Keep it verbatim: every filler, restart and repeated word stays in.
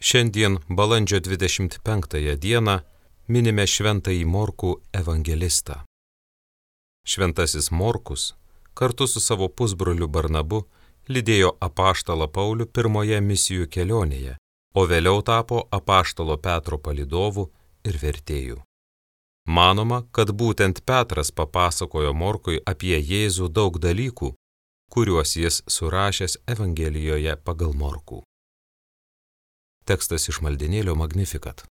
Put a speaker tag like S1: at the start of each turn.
S1: Šiandien balandžio dvidešimt penktąją dieną minime šventąjį Morkų evangelistą. Šventasis Morkus kartu su savo pusbroliu Barnabu lydėjo apaštalą Paulių pirmoje misijų kelionėje, o vėliau tapo apaštalo Petro palydovu ir vertėju. Manoma, kad būtent Petras papasakojo Morkui apie Jėzų daug dalykų, kuriuos jis surašęs Evangelijoje pagal Morkų. Tekstas iš maldynėlio Magnificat.